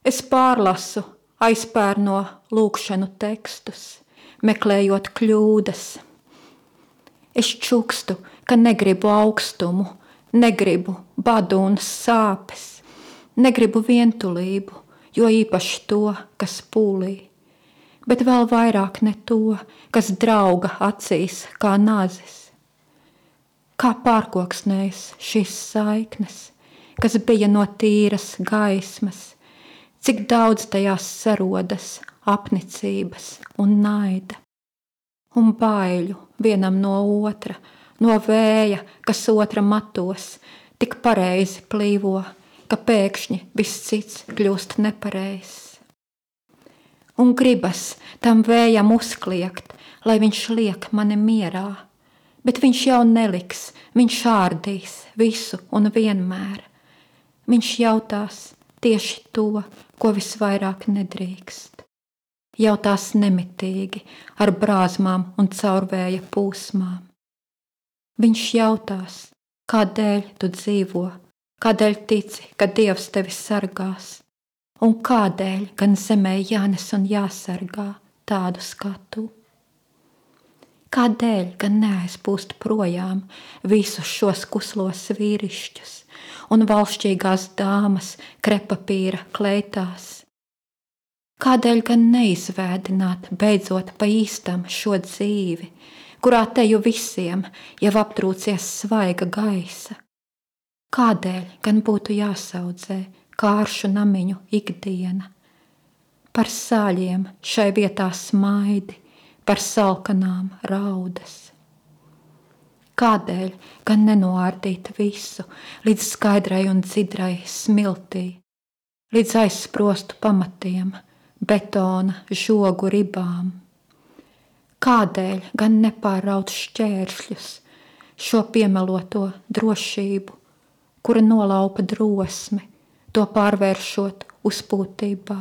Es pārlasu aizpērno lūkšanu tekstus, meklējot kļūdas. Es čukstu, ka negribu augstumu, negribu badu un sāpes, negribu vientulību, jo īpaši to, kas pūlī, bet vēl vairāk ne to, kas drauga acīs kā nazis. Kā pārkoksnējas šīs saiknes, kas bija no tīras gaismas, cik daudz tajās sarodas apnicības un naida, un baiļu vienam no otra, no vēja, kas otra matos, tik pareizi plīvo, ka pēkšņi viss cits kļūst nepareizs. Un gribas tam vējam uzkliegt, lai viņš liek mani mierā, bet viņš jau neliks, viņš ārdīs visu un vienmēr. Viņš jautās tieši to, ko visvairāk nedrīkst. Jautās nemitīgi, ar brāzmām un caurvēja pūsmām. Viņš jautās, kādēļ tu dzīvo, kādēļ tici, ka Dievs tevi sargās, un kādēļ gan zemē jānes un jāsargā tādus kā tu. Kādēļ gan neaizpūst projām visus šos kuslos vīrišķus un valšķīgās dāmas krepapīra kleitās? Kādēļ gan neizvēdināt beidzot pa īstam šo dzīvi, kurā teju visiem jau aptrūcies svaiga gaisa? Kādēļ gan būtu jāsaudzē kāršu namiņu ikdiena? Par sāļiem šai vietā smaidi, par salkanām raudas. Kādēļ gan nenoārdīt visu līdz skaidrai un dzidrai smiltī, līdz aizsprostu pamatiem, betona žogu ribām? Kādēļ gan nepārraut šķēršļus, šo piemeloto drošību, kura nolaupa drosmi, to pārvēršot uzpūtībā?